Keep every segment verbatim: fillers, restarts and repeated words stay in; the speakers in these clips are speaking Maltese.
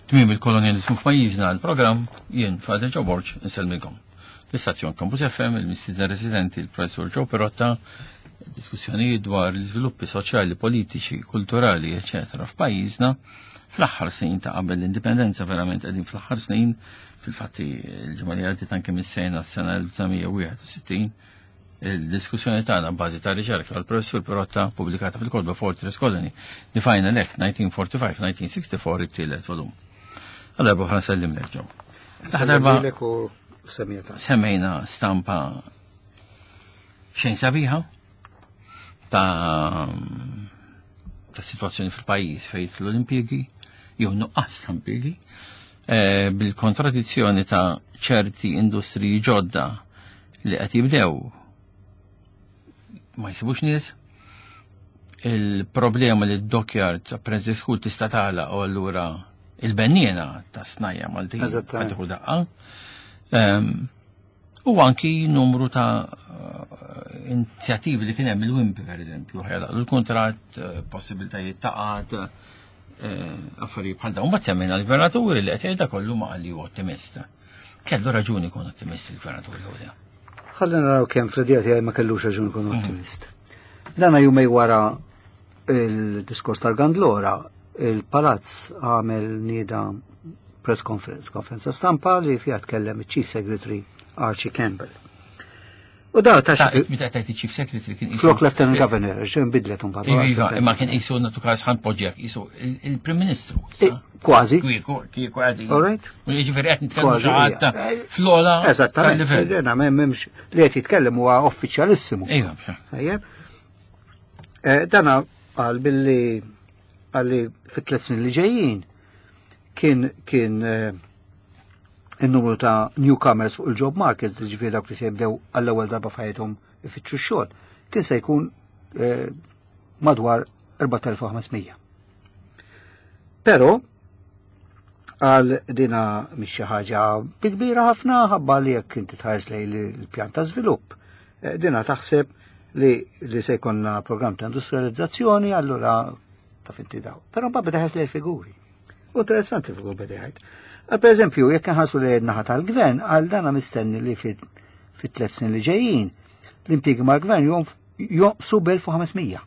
Tmiem il-kolonializmu f'pajjiżna, l-programm, jien Father Joe Borg insellmilkom. L-istazzjon Campus F M, il-mistieden residenti il-Professur Joe Pirotta, diskussjonijiet dwar l-iżviluppi soċjali, politiċi, kulturali, eċetera f'pajjiżna fl-aħħar snin ta' qabel l-indipendenza. Verament qegħdin fl-aħħar snin, fil-fatti il-ġimgħa li għaddiet anke mis-sena s-sena elf disa' mija wieħed u sittin. Il-diskussjoni tagħna bażi ta' riċerka tal-Professur Pirotta pubblikata fil-kotba Fortress Colony, The Final Act nineteen forty-five nineteen sixty-four, it-tielet volum. Għal darba oħra nsellimlek, Joe. Darba semmejna stampa xejn sabiħa ta' ta' situazzjoni fil-pajjiż fejn l-impjiegi jew nuqqas ta' impjiegi eh, bil-kontradizzjoni ta' ċerti industriji ġodda li qed jibdew ma jsibux nies, il-problema li d-dockyard apprentice school tista' tagħlaq u allura il-benniena ta' snajja Maltin Eżattament. qed daqqa. Ehm, U anki numru ta' eh, inizjattivi li kien hemm, il-Wimpy per eżempju, ħajlaq l-kontrat, eh, possibiltajiet ta' qgħad, eh, affarijiet bħal dawn. Mbagħad semmejna l-gvernaturi li qed jgħidha kollu ma qal li hu ottimista. Kellu raġuni jkun ottimist il-gvernatur jew le? Ħalli naraw kemm fl-idea tiegħi ma kellux raġun ikun ottimist. Dana jumejn wara il-diskors tal-Gandlora, il-Palazz għamel nieda press conference, konferenza stampa li fiha tkellem il-Chief Secretary Archie Campbell. U da ta' Ta' xi meta tajt il-Chief Secretary kien qisu- flok Lieutenant Governor, xejn bidlet un Iva, iva, imma kien qisu natu każ ħan poġġek, qisu il-Prim Ministru. Kważi. Kieku, kieku għadi. All right. U jiġifieri qed nitkellmu Kważi, xi ħadd ija. fl-ogħla Eżattament, tal-livell. Dena m'hemmx li qed jitkellem huwa uffiċjalissimu. Iva, bxa. Ejjeb. Eh, Dana qal billi għalli fit-tliet snin li ġejjin kien kien eh, il-numru ta' newcomers fuq il-job market, ġifieri dawk li se jibdew għall-ewwel darba f'ħajjithom ifittxu x-xogħol, kien se jkun eh, madwar erbat elef u ħames mija. Però għal dina mhix xi ħaġa bi kbira ħafna ħabba li jekk inti tħares lejn il-pjan ta' żvilupp. eh, Dina taħseb li, li se jkollna programm ta' industrializzazzjoni, allura taf inti daw. Però mbagħad beda ħares lejn il-figuri. U interessanti il-figur beda jgħid. Għal per eżempju, jekk nħarsu li naħa tal-gvern, għal dana mistenni li fit fit tliet snin li ġejjin, l-impjiegi mal-gvern jonqsu b'elf u ħames mija.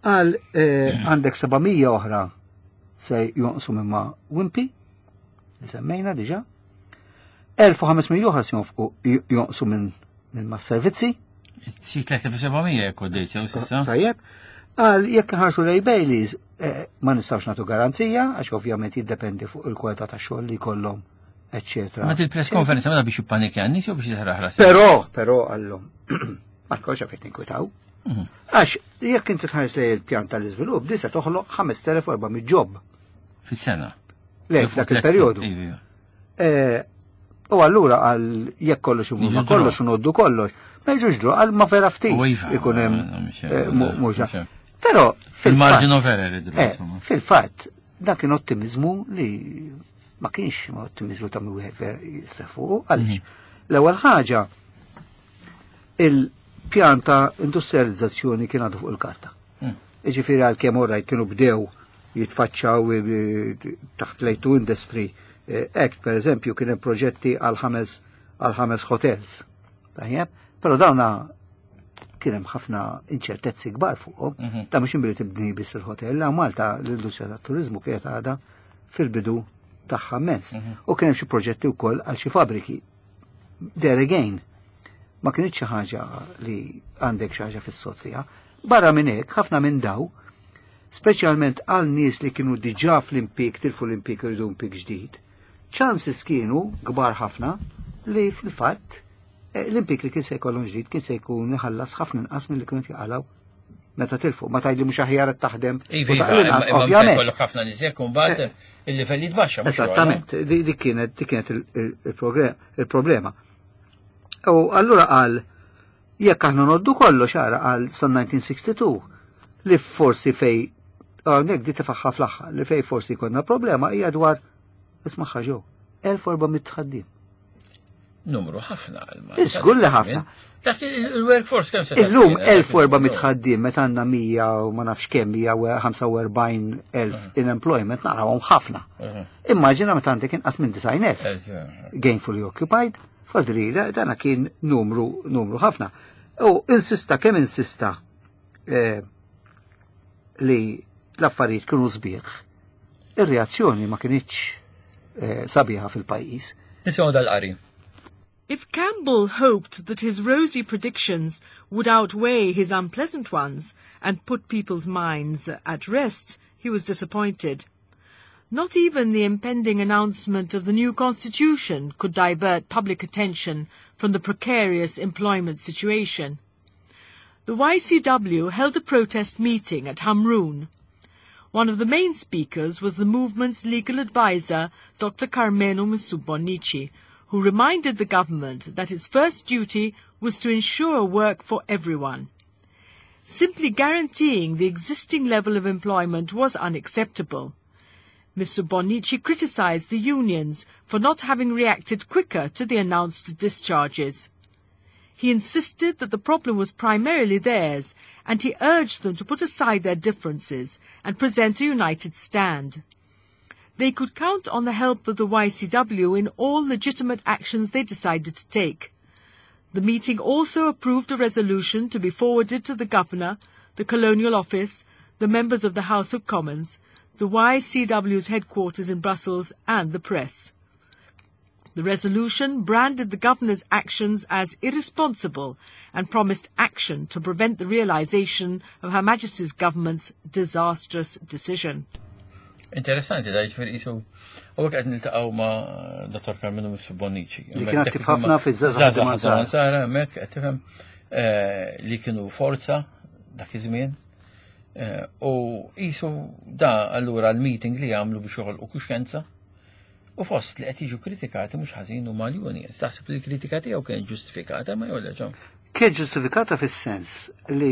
Għal eh, għandek seba' mija oħra se jonqsu minn ma' Wimpy, li semmejna diġa, elf u ħames mija oħra se jonfqu jonqsu minn minn ma' servizzi. Xi tliet elef u seba' mija jekk għoddejt sew s'issa. Tajjeb. Għal jekk nħarsu lej Baileys, eh, ma nistawx nagħtu garanzija, għax ovvjament jiddependi fuq il-kwalità ta' xogħol li jkollhom, eccetera. Ma il-press conference ma biex jippanikja n-nies jew biex jisraħ Però, però għallhom, ma tkunx għafet ninkwitaw. Mhm. Għax jekk inti tħares lej il-pjan tal-iżvilupp, di se toħloq ħamest elef u erba' mitt job. Fis-sena. Le, f'dak il-perjodu. Iva, iva. Eh, U allura għal jekk kollox imur ma Jiġu kollox unoddu kollox, ma jiġux dru għal ma vera ftit U iva, ikun hemm mhux- eh, mu- mhux mhux- Però Fil-margin fil-fatt of error idru, eh, insomma. fil-fatt dak kien ottimizmu li ma kienx ottimizmu ta' wieħed vera jistrieħ fuq għaliex. L-ewwel ħaġa, il-pjan ta' industrializzazzjoni kien għadu fuq il-karta. Mm. Iġifieri għal kemm orajt kienu bdew jitfaċċaw eh, taħt l-A two Industry eh, Act, per eżempju, kien hemm proġetti għal ħames għal ħames hotels. Tajjeb, però dawna kien hemm ħafna inċertezzi kbar fuqhom. Mhm. Ta' mhux imbili tibni biss il-hotel, la Malta l-industrija tat-turizmu kienet għadha fil-bidu tagħha mezz. Mhm. U kien hemm xi proġetti wkoll għal xi fabriki. There again, ma kienx xi ħaġa li għandek xi ħaġa fis-sod fiha. Barra minn hekk, ħafna minn daw, speċjalment għal nies li kienu diġà fl-impik, tilfu l-impik u jridu impik ġdid, chances kienu kbar ħafna li fil-fatt eh, l-impik li kien se jkollhom ġdid kien se jkun iħallas ħafna inqas milli kienu jaqalgħu meta tilfu. Ma tgħidli mhux aħjar qed taħdem Iva, u iva, taqli inqas, imma ovvjament. kollok ħafna nies hekk u mbagħad il-livell jitbaxxa. Mhux Esattament, di di kienet di kienet il- il- il-progre- il-problema. U allura qal jekk aħna noddu kollox ara għal san elf disa' mija u sitta u sittin li forsi fej hawnhekk di tifaħħa fl-aħħar li fej forsi konna problema hija dwar, isma' ġew elf u erba' mitt ħaddiem. Numru ħafna għal Żgur li ħafna. Dak il-workforce kemm se Illum elf u erba' mitt ħaddiem meta għandna mija u ma nafx kemm, mija u ħamsa u erbgħin elf in employment, narawhom ħafna. Immaġina meta għandek inqas minn disgħin elf gainfully occupied, fadri, dana kien numru, numru ħafna. U insista kemm insista, eh, li l-affarijiet kienu sbieħ, ir-reazzjoni ma kinitx, eh, sabiħa fil-pajjiż. Nisimgħu dal-qari. If Campbell hoped that his rosy predictions would outweigh his unpleasant ones and put people's minds at rest, he was disappointed. Not even the impending announcement of the new constitution could divert public attention from the precarious employment situation. The Y C W held a protest meeting at Hamrun. One of the main speakers was the movement's legal advisor, Doctor Karmenu Mifsud Bonnici, who reminded the government that its first duty was to ensure work for everyone. Simply guaranteeing the existing level of employment was unacceptable. Mifsud Bonnici criticised the unions for not having reacted quicker to the announced discharges. He insisted that the problem was primarily theirs, and he urged them to put aside their differences and present a united stand. They could count on the help of the Y C W in all legitimate actions they decided to take. The meeting also approved a resolution to be forwarded to the Governor, the Colonial Office, the members of the House of Commons, the Y C W's headquarters in Brussels, and the press. The resolution branded the Governor's actions as irresponsible and promised action to prevent the realisation of Her Majesty's government's disastrous decision. Interessanti, da jiġifieri qisu, u hekk qed niltaqgħu ma' Dottor Karmenu Mifsud Bonnici. Li kien attiv ħafna fiż-Żgħażagħ Żgħażagħ Mansara. Mansara, hemmhekk qed tifhem, eh, li kienu forza dak iż-żmien. Eh, u qisu da allura l-meeting li għamlu biex joħolqu kuxjenza u fost li qed jiġu kritikati mhux ħażin huma l-unions. Taħseb li l-kritika tiegħu kienet ġustifikata ma jew le, ġo? Kien ġustifikata fis-sens li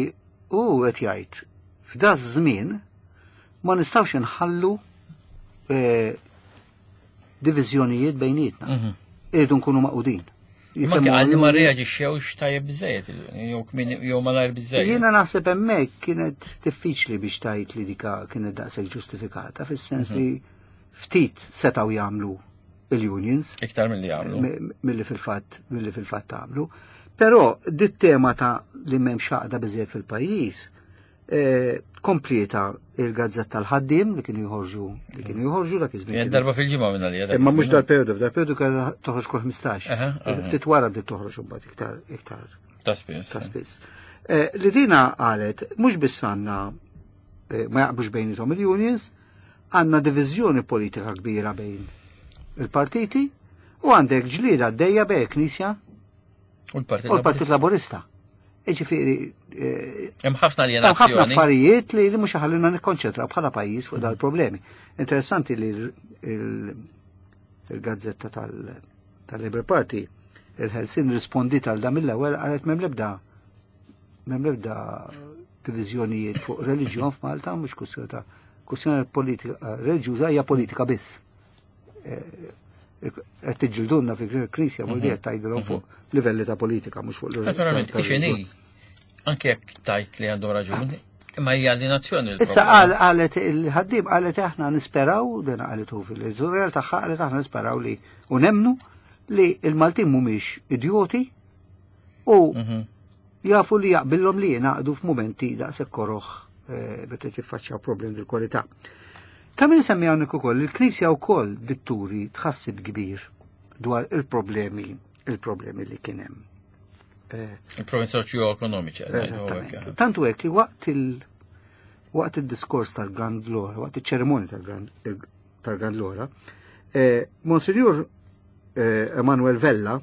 hu qed jgħid f'da żmien ma nistgħux inħallu, eh, diviżjonijiet bejnietna. Mhm. Irridu nkunu maqudin. Ma Jekk kien għalli ma hemm reaġixxewx tajjeb biżejjed, jew kmin, jew malajr biżejjed. Jiena naħseb hemmhekk kienet diffiċli biex tgħid li dika kienet daqshekk ġustifikata, fis-sens Mhm. li ftit setgħu jagħmlu il-unions. Iktar milli jagħmlu. Mi-, milli fil-fatt, milli fil-fatt għamlu. Però dit tema ta' li m'hemmx għaqda biżejjed fil-pajjiż, eh, kompleta il-gazzetta l-ħaddiem li kienu joħorġu, li kienu joħorġu dak iż-żmien. Kien darba fil-ġimgħa minn għalija dak Imma mhux iż-żmien. dal-perjodu, f'dal-perjodu kellha toħroġ kull ħmistax. Aha, aha. Ftit wara bdiet toħroġ imbagħad iktar, iktar Ta' spiss. Ta' spiss. Eh, li dina qalet mhux biss għandna, eh, ma jaqblux bejniethom il-unions, għandna diviżjoni politika kbira bejn il-partiti u għandek ġlieda għaddejja bejn il-Knisja U l-Partit u l-Partit Laburista. Jiġifieri, eh, Hemm ħafna hemm ħafna alienazzjoni. affarijiet li, li mhux ħallina nikkonċentraw bħala pajjiż fuq dal-problemi. Interessanti li l-, il-, il-gazzetta tal-, tal-Labour Party, il-Ħelsien rispondit għal dan mill-ewwel qalet m'hemm l-ebda, m'hemm l-ebda diviżjonijiet fuq reliġjon f'Malta, mhux kwestjoni ta' kwestjoni politika, eh, reliġjuża hija politika biss. Eh, qed tiġġildunna fi knisja, vuol dire tgħidilhom fuq livelli ta' politika, mhux fuq livell Naturalment, ta' ixini, reliġjon. anke jekk tajt li għandhom raġuni, imma hija alienazzjoni l-problema. Issa qal, qalet il-ħaddiem, qalet aħna nisperaw, dan qalet hu fil-editorial tagħha, qalet aħna nisperaw li u nemnu li l-Maltin mhumiex idjoti u Mhm. jafu li jaqbillhom li jingħaqdu f'mumenti daqshekk koroħ, eh, meta tiffaċċjaw problemi dil-kwalità. Ta' min semmi hawnhekk ukoll, il-Knisja wkoll bitturi tħassib kbir dwar il-problemi, il-problemi li kien hemm. Eh, Il-problemi soċjo-ekonomiċi, għadna ngħidu hekk, Eżattament. eh. Tantu hekk li waqt il-, waqt il-diskors tal-Grand Lora, waqt iċ-ċerimonja tal-Grand, tal-Grand Lora, eh, Monsignor, eh, Emanuel Vella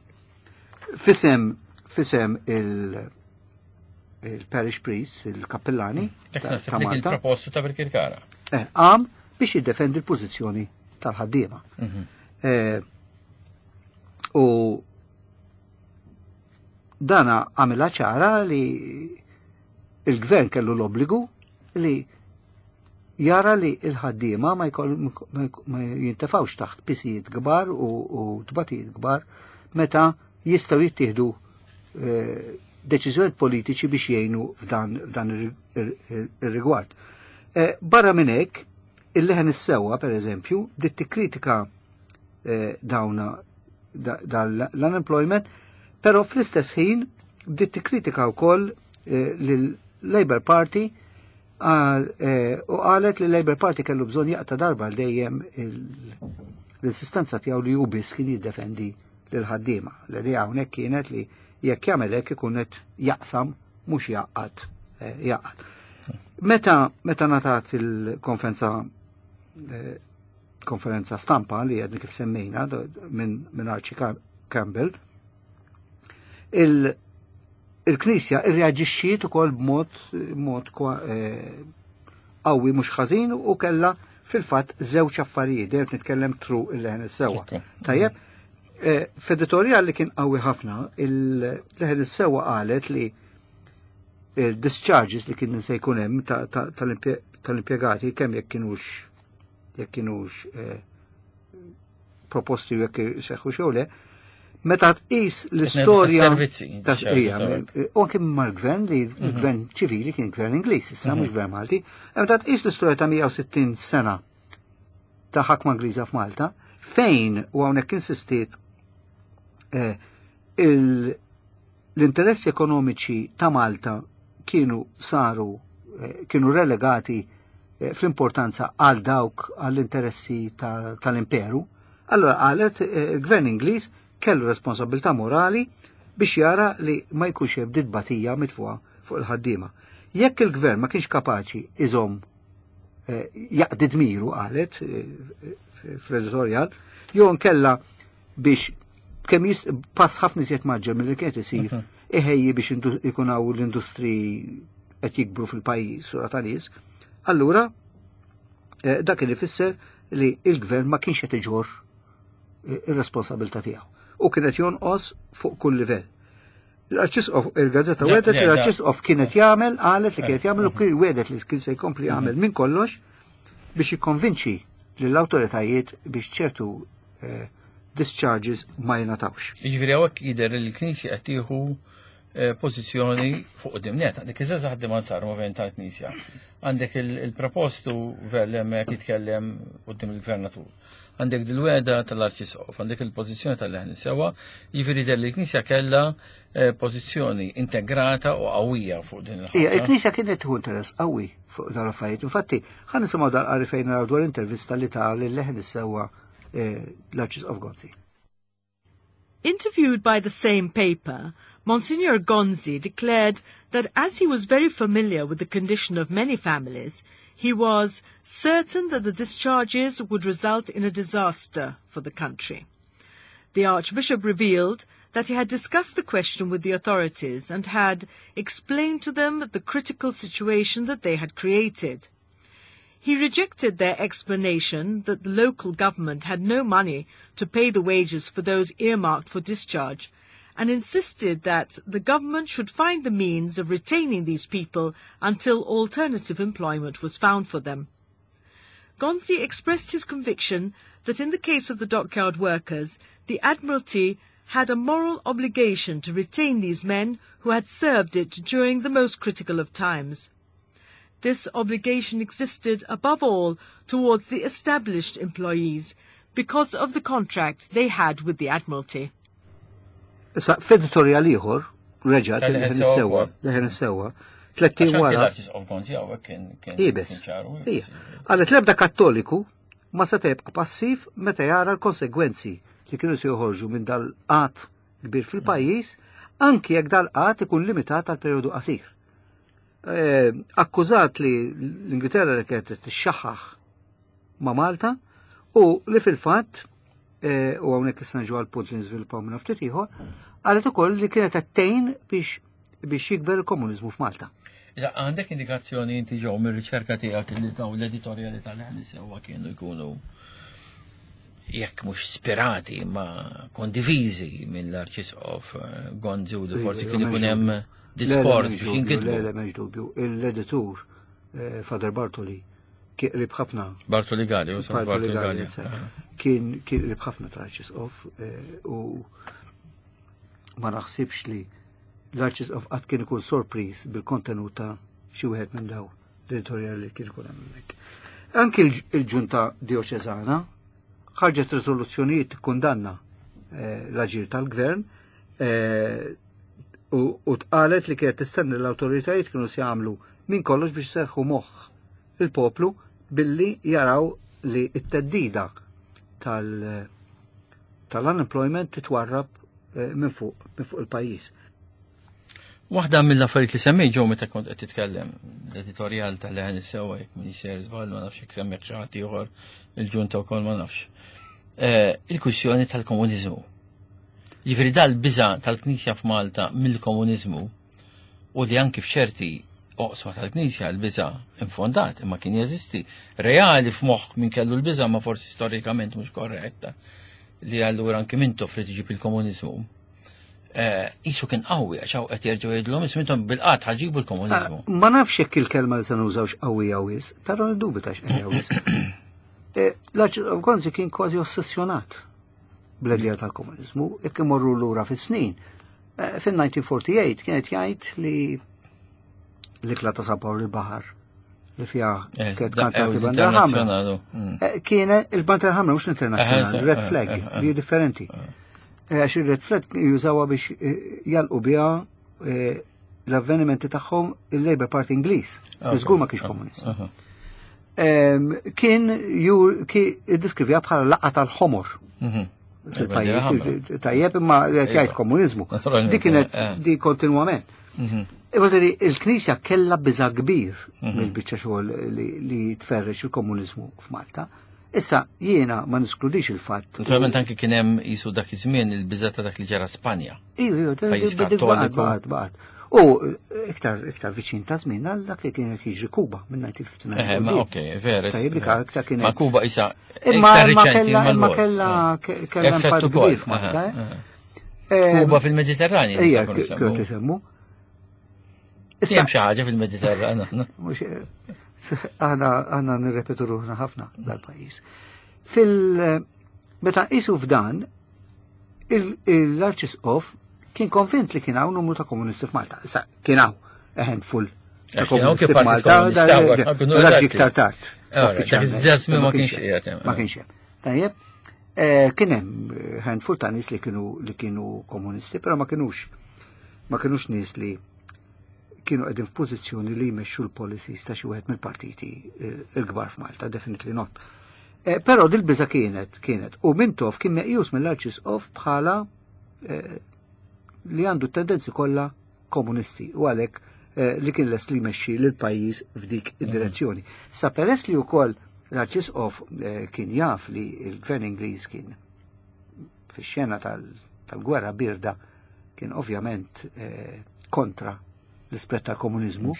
fisem, fisem il-, il-parish priest, il-kappellani Dak ta' naħseb ta' li kien Malta. propostu ta' Birkirkara. Eh, għam biex jiddefendi l-pożizzjoni tal-ħaddiema. Mhm. Eh, u dana għamilha ċara li il-gvern kellu l-obbligu li jara li il-ħaddiema ma jkoll-, ma jk-, ma jintefawx taħt pisijiet kbar u, u tbatijiet kbar meta jistgħu jittieħdu eh, deċiżjonijiet politiċi biex jgħinu f'dan f'dan ir-rigward. Eh, barra minn hekk, il-Leħen is-Sewwa, per eżempju, bdiet tikkritika eh, dawna l-unemployment, però fl-istess ħin bdiet tikkritika wkoll eh, lill-Labour Party u qalet li l-Labour Party kellu bżonn jaqta' darba għal dejjem l-insistenza tiegħu li hu biss kien jiddefendi lil ħaddiema. L-idea hawnhekk kienet li jekk jagħmel hekk ikun qed jaqsam mhux jaqgħad jaqgħad. Meta meta ngħatat il-konferenza eh, konferenza stampa li għedni kif semmejna minn min Archie Campbell, il-Knisja irreaġixxiet ukoll b'mod mod eh, qawwi mhux ħażin u kellha fil-fatt żewġ affarijiet, dejjem nitkellem tru il-Leħen is-Sewwa. Tajjeb, eh, f'editorjal li kien qawwi ħafna, il-Leħen is-Sewwa qalet li il-discharges li kien se jkun hemm tal-impjegati kemm jekk kienux jekk kienux eh, proposti u jekk seħħu xew le, meta tqis l-istorja ta' ija, u anke mal-gvern li l-gvern ċivili kien gvern Ingliż, issa mhux gvern Malti, meta tqis l-istorja ta' mija u sittin sena ta' ħakma Ingliża f'Malta, fejn u hawnhekk insistiet eh, l-interessi ekonomiċi ta' Malta kienu saru eh, kienu relegati eh, fl-importanza għal dawk għall-interessi tal-imperu. Allora qalet il-gvern Ingliż kellu responsabilità morali biex jara li ma jkunx hemm ditbatija mitfuqa fuq il-ħaddiema. Jekk il-gvern ma kienx kapaċi iżomm jaqdi dmiru, qalet fl-editorial, jew nkella biex kemm pass ħafna iżjed mgħaġġel mill-li kienet isir mhm. iħejji biex ikun hawn l-industri qed jikbru fil-pajjiż sura ta' nies, allura eh, dak li fisser li il-gvern ma kienx qed iġorr eh, ir-responsabilità tiegħu u kienet jonqos fuq kull livell. L-Arċisqof, il-gazzetta wedet li l-Arċisqof kienet jagħmel, qalet li kienet jagħmel u kien wedet li kien se jkompli jagħmel minn kollox biex jikkonvinċi lill-awtoritajiet biex ċertu eh, discharges ma jingħatawx. Jiġifieri hawnhekk jidher li l-Knisja qed tieħu eh, pożizzjoni fuq dimnet. Għandek iż-żgħażagħ ħaddiema sar moviment tal-Knisja. Għandek il-propostu Vella hemmhekk jitkellem quddiem il-gvernatur. Għandek dil-wegħda tal-Arċisqof, għandek il-pożizzjoni tal-Leħen is-Sewwa, jiġifieri jidher li l-Knisja kellha eh, pożizzjoni integrata u qawwija fuq din il-ħaġa. Il-Knisja kienet tieħu interess qawwi fuq dal-affarijiet. Infatti, ħa nisimgħu dal-qari fejn naraw dwar intervista li ta lil-Leħen is-Sewwa eh, l-Arċisqof Gonzi. Interviewed by the same paper, Monsignor Gonzi declared that as he was very familiar with the condition of many families, he was certain that the discharges would result in a disaster for the country. The Archbishop revealed that he had discussed the question with the authorities and had explained to them the critical situation that they had created. He rejected their explanation that the local government had no money to pay the wages for those earmarked for discharge and insisted that the government should find the means of retaining these people until alternative employment was found for them. Gonzi expressed his conviction that in the case of the dockyard workers, the Admiralty had a moral obligation to retain these men who had served it during the most critical of times. This obligation existed above all towards the established employees because of the contract they had with the Admiralty. Issa, f'editorial ieħor, reġa' Leħen is-Sewwa, Leħen is-Sewwa, tlett ijiem wara. Ibes. Qalet l-ebda Kattoliku ma se tibqa' passiv meta jara l-konsegwenzi li kienu se joħorġu minn dal-qgħad kbir fil-pajjiż, anki jekk dal-qgħad ikun limitat għal perjodu qasir. Eh, akkużat li l-Ingilterra li kienet tixxaħħaħ ma' Malta u li fil-fatt eh, u hawnhekk issa niġu għal punt li niżviluppaw minn ftit ieħor, qalet ukoll li kienet tgħin biex biex jikber il-komuniżmu f'Malta. Iżda għandek indikazzjoni inti ġew mir-riċerka tiegħek li daw l-editorjali tal-Leħen is-Sewwa kienu jkunu jekk mhux spirati ma kondiviżi mill-Arċisqof eh, Gonzi u li forsi kien ikun hemm diskors biex jinkitbu. Le, le, m'hemmx dubju. Il-editur eh, Father Bartoli kien qrib ħafna. Bartoli Galli, u Bartoli Galli. Kien kien qrib ħafna tal-Arċisqof eh, u Ma naħsibx li l-Arċisqof qatt kien ikun sorpriż bil-kontenut ta' xi wieħed minn daw l-editorjali li kien ikun hemmhekk. Anki il-ġunta dioċeżana ħarġet riżoluzzjonijiet tikkundanna eh, l-aġir tal-gvern eh, u tqalet li kienet tistenni l-awtoritajiet kienu se jagħmlu minn kollox biex serħu moħħ il-poplu billi jaraw li t-teddida tal-unemployment titwarrab eh, minn fuq minn fuq il-pajjiż. Waħda mill-affarijiet li semmej ġew meta kont qed titkellem l-editorjal tal-Leħen is-Sewwa jekk min jisir żball ma nafx jekk semmek xi ħadd ieħor il-ġunta wkoll ma nafx. Eh, il-kwistjoni tal-komuniżmu. Ġifieri dal-biża tal-Knisja f'Malta mill-komuniżmu u li anki f'ċerti oqsma tal-Knisja l-biża infondat imma kien jeżisti reali f'moħħ min kellu l-biża ma forsi storikament mhux korretta li allura anki Mintoff li tiġib il-komuniżmu. Isu kien qawwi għax hawn qed jerġgħu jgħidulhom isma' intom bil-qatt ħaġibu l-komuniżmu. Ah, ma nafx jekk il-kelma li se nużawx qawwi wis, però ndubitax qawwi wis. Eh, L-Arċisqof Gonzi kien kważi ossessjonat bl-idea tal-komuniżmu, jekk imorru lura fis-snin. Eh, Fin-elf disa' mija u erbgħa u erbgħin kienet jgħid li l-ikla ta' San Pawl il-Baħar li fiha Eh, kienet da- kantati eh, bandera ħamra. l-internazzjonali, mm. Eh, Kienet il-bandera ħamra mhux l-internazzjonali, Eh, red eh, flag, eh, eh. li hi differenti. Eh, Għax il-red flag jużawha biex eh, jalqu biha eh, l-avvenimenti tagħhom il-Labour Party Ingliż, li żgur ma kienx komunist. Aha. Em, Kien jur ki iddiskrivija bħala laqgħa tal-ħomor Mhm. fil-pajjiż, ħamra. tajjeb imma qed jgħid Iva. komuniżmu. Naturalment, Di kienet eh. di kontinwament. Mhm. Iva il-Knisja kella biża kbir Mhm. mill-biċċa xogħol li, li tferrex il-komuniżmu f'Malta. Issa jiena ma niskludix il-fatt. Naturalment anki kien hemm jisu dak iż-żmien il-biża ta' dak li ġara Spanja. Iju, iju, Pajjiż dik baqgħet, kattoliku. baqgħet, baqgħet. U iktar iktar viċin ta' żmien għal dak li kienet jiġri Kuba minn elf disa' mija u ħamsa u sittin. Eh, ma okej, vera. Tajjeb, dik aktar kienet. Ma Kuba isa Imma iktar imma riċenti kella imma mal-bogħod. kella Eh. kella Effett impatt ukoll. kbir f'Malta. Aha, eh. aha. Em, Kuba fil-Mediterrani. Ija, nistgħu nsemmu. kien isemmu. Hemm xi ħaġa fil-Mediterran. Mhux, aħna aħna nirrepetu ruħna ħafna dal-pajjiż. Fil meta qisu f'dan, il- l-Arċisqof kien konvint li kien hawn numru ta' komunisti f'Malta. Issa kien hawn a handful ta' Eh, kien hawn komunisti kien partit f'Malta, komunista, da- hawn da- kienu dak eżatti. iktar tard. Ora, dak uffiċjalment. iż-żmien ma kienx hemm. qiegħed hemm. Ma kienx hemm. Tajjeb, eh, kien hemm handful ta' nies li kienu li kienu komunisti, però ma kienux ma kienux nies li kienu qegħdin f'pożizzjoni li jmexxu l-policies ta' xi wieħed mill-partiti eh, il-kbar f'Malta, definitely not. Eh, Però dil-biża kienet, kienet. U Mintoff kien meqjus mill-Arċisqof bħala eh, li għandu tendenzi kollha komunisti u għalhekk eh, li kien les li jmexxi lil pajjiż f'dik id-direzzjoni. Sa peress li wkoll l-Arċisqof eh, kien jaf li l-Gvern Ingliż kien fix-xena tal- tal-gwerra birda kien ovvjament eh, kontra l-ispret tal-komunizmu,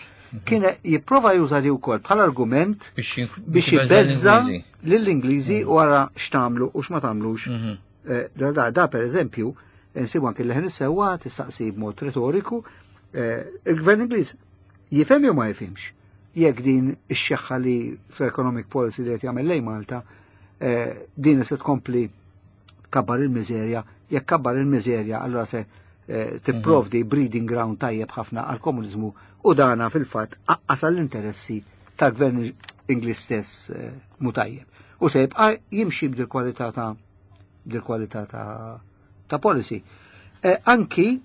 kien jipprova juża di wkoll bħala argument Biex biex jibbeżza lill-Ingliżi wara x'tagħmlu u x'ma tagħmlux. Mhm. Eh, Da, da, da per eżempju, nsibu anke l-Leħen is-Sewwa tistaqsi b'mod retoriku, eh, il-Gvern Ingliż jifhem jew ma jifhimx jekk din ix-xeħħa li fl-economic policy li qed jagħmel lejn Malta eh, din se tkompli kabbar il-miżerja, jekk kabbar il-miżerja allura se eh, tipprovdi breeding ground tajjeb ħafna għal komuniżmu u dana fil-fatt aqqas għall-interessi tal-gvern Ingliż stess eh, mu tajjeb. U se jibqa' jimxi b'dil kwalità ta' b'dil kwalità ta' ta' policy. Eh, anki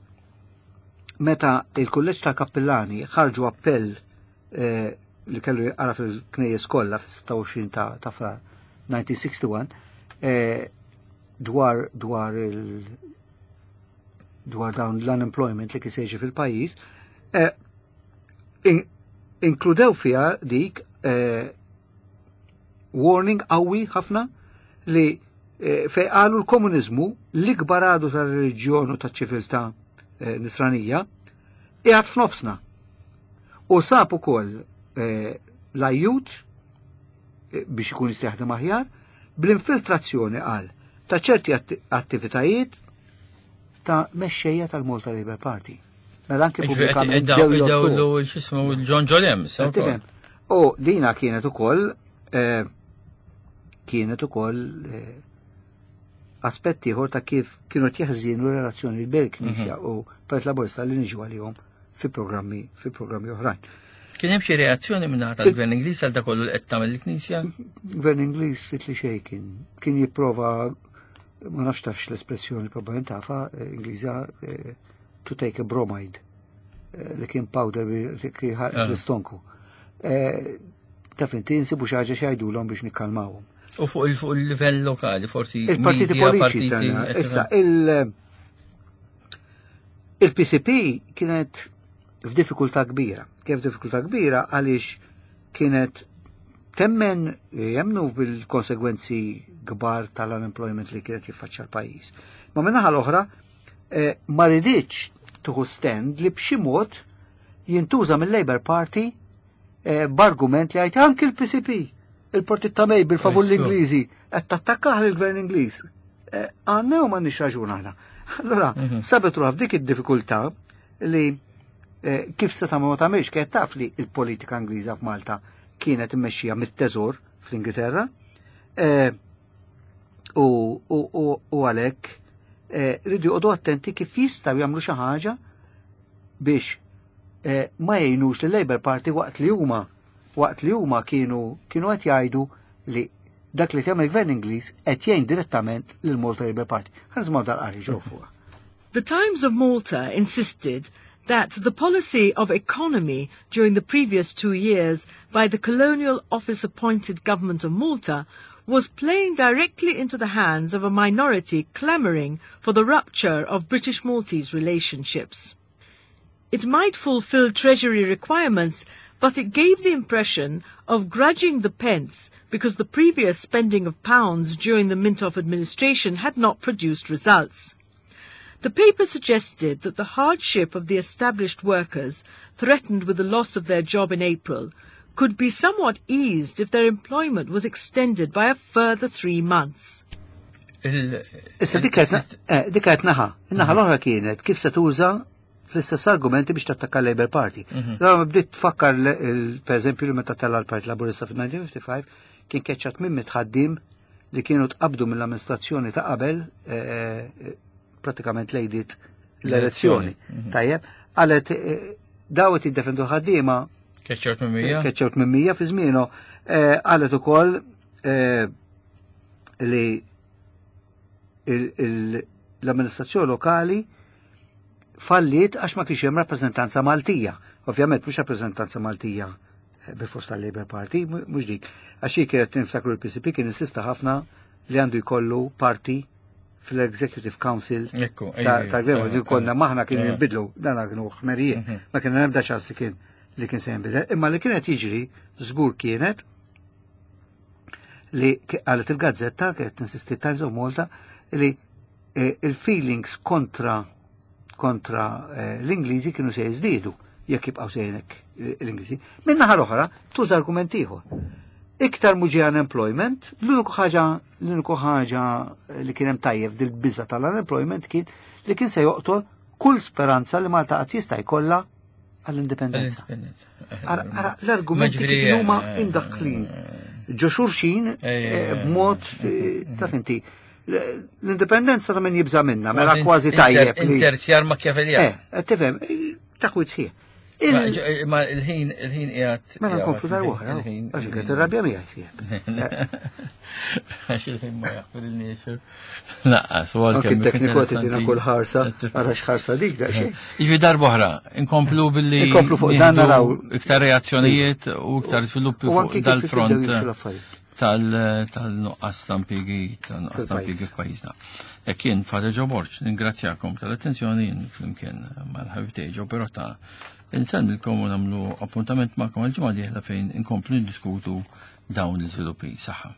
meta il-kulleġġ ta' kappillani ħarġu appell eh, li kellu jqara fil-knejjes kollha fis-sitta u għoxrin ta' ta' Frar elf disa' mija u wieħed u sittin eh, dwar dwar il dwar dawn l-unemployment li kien se fil-pajjiż, eh, in, inkludew fiha dik eh, warning qawwi ħafna li eh, fej qalu l-komuniżmu l-ikbar għadu tal-reliġjon u taċ-ċiviltà eh, nisranija qiegħed f'nofsna. U sab ukoll eh, l-ajjut eh, biex ikun jista' jaħdem aħjar bl-infiltrazzjoni qal ta' ċerti atti- attivitajiet ta' mexxejja tal-Malta Labour Party. Mela anke pubblikament ġew jolqtu. Dawlu x'ismu John Jolem. Qed tifhem? U dina kienet ukoll eh, kienet ukoll eh, aspett ieħor ta' kif kienu jeħżienu relazzjoni bejn il-Knisja u Partit Laburista li niġu għalihom fi programmi fi programmi oħrajn. Kien hemm xi reazzjoni minn naħa tal-Gvern Ingliż għal dak kollu li qed tagħmel il-Knisja? Gvern Ingliż ftit li xejn kien kien jipprova, ma nafx tafx l-espressjoni, probabbilment tafha, eh, Ingliża, eh, to take a bromide, eh, li kien powder li kien Ah. l-istonku. Eh, Taf inti, insibu xi ħaġa x'jgħidulhom biex nikkalmawhom. U fuq il fuq il-livell lokali, forsi Il-partiti media, politiċi partiti, tagħna. Issa, il- il-P C P kienet f'diffikultà kbira. Kif diffikultà kbira? Għaliex kienet temmen, jemnu bil-konsegwenzi kbar tal-unemployment li kienet jiffaċċja l-pajjiż. Ma min-naħa l-oħra, eh, ma riditx tieħu stand li b'xi mod jintuża mill-Labour Party eh, b'argument li għajt anki l-P C P, il-partit ta' May bil-favur Esku. l-Ingliżi, qed tattakkah l-gvern Ingliż. Eh, Għandna u m'għandniex raġun aħna. Allora, Mhm. sabet ruħha f'dik id-diffikultà li eh, kif se tagħmel ma tagħmilx, kienet taf li il-politika Ingliża f'Malta kienet immexxija mit-teżor fl-Ingilterra eh, u, u, u, u għalhekk eh, rridu joqogħdu attenti kif jistgħu jagħmlu xi ħaġa biex eh, ma jgħinux li Labour Party waqt li huma waqt li huma kienu kienu qed jgħidu li dak li tagħmel il-Gvern Ingliż qed jgħin direttament lil Malta Labour Party. Ħa nisimgħu dal-qari ġew fuqha. The Times of Malta insisted that the policy of economy during the previous two years by the Colonial Office appointed government of Malta was playing directly into the hands of a minority clamouring for the rupture of British-Maltese relationships. It might fulfill Treasury requirements, but it gave the impression of grudging the pence because the previous spending of pounds during the Mintoff administration had not produced results. The paper suggested that the hardship of the established workers, threatened with the loss of their job in April, could be somewhat eased if their employment was extended by a further three months. Il- Issa dik kienet eh, dik kienet naħa. In-naħa l-oħra kienet kif se tuża fl-istess argumenti biex tattakka Labour Party. Allora bdiet tfakkar l- il- per eżempju li meta tella l-Partit Laburista fil-elf disa' mija u ħamsa u ħamsin kien keċċat minn mitt ħaddiem li kienu tqabdu mill-amministrazzjoni ta' qabel, eh, eh, pratikament lejdiet l-elezzjoni. Tajjeb, qalet eh, dawet jiddefendu ħaddiema. Keċċew tmien mija? Keċċew tmien mija fi żmienu, eh, qalet ukoll eh, li il- il- l-amministrazzjoni lokali falliet għax ma kienx hemm rappreżentanza Maltija. Ovvjament mhux rappreżentanza Maltija eh, bil-fost tal-Labour Party, mu- mhux dik. Għax hi kienet, niftakru, l-P C P kien insista ħafna li għandu jkollu parti fl-Executive Council Ekku, ta' ejju, tal-gvern, eh, li konna eh, maħna kien eh. jinbidlu, dan kienu ħmerijiet, Mhm. ma kien ebda ċans li kien li kien se jinbidel, imma li kienet jiġri żgur kienet li ki- qalet il-gazzetta, kienet tinsisti Times of Malta, li eh, il-feelings kontra kontra eh, l-Ingliżi kienu se jiżdiedu jekk jibqgħu sejnek l-Ingliżi. Min-naħa l-oħra tuża argument ieħor. Iktar mhu ġie unemployment, l-uniku ħaġa l-uniku ħaġa li kien hemm tajjeb dil-biża tal-unemployment kien li kien se joqtol kull speranza li Malta qatt jista' jkollha għall-indipendenza. Indipendenza. Ara, ara l-argumenti Ma ġifieri, kif huma eh, imdaħħlin ġo xulxin Eh, eh, eh, b'mod eh, taf inti l-indipendenza ta' min jibża minna, mela kważi inter- tajjeb li. Interzjar Machiavellian. Eh, qed tifhem, eh, taħwit sħiħ. Ma Il- ma il-ħin il-ħin qiegħed. Mela nkomplu dar oħra, Il-ħin. għax kienet irrabja miegħi sieħeb. Għax il-ħin ma jaħfir Naqqas, u Anki għalkemm t-tekniku qed idina kull ħarsa, ara x'ħarsa dik daqsxejn. Iġvi darba oħra, inkomplu billi. Inkomplu fuq dan nieħdu naraw. iktar reazzjonijiet u iktar sviluppi U fuq anki kif dal-front jibdew jimxu l-affarijiet. tal- tal-nuqqas ta' impjiegi, tal-nuqqas ta' impjiegi Fil-pajjiż. f'pajjiżna. Jekk jien Father Joe Borg, ningrazzjakom tal-attenzjoni flimkien mal-ħabib tiegħi Joe Pirotta. Insellmilkom u nagħmlu appuntament magħkom għal-ġimgħa dieħla fejn inkomplu niddiskutu dawn l-iżviluppi. Saħħa.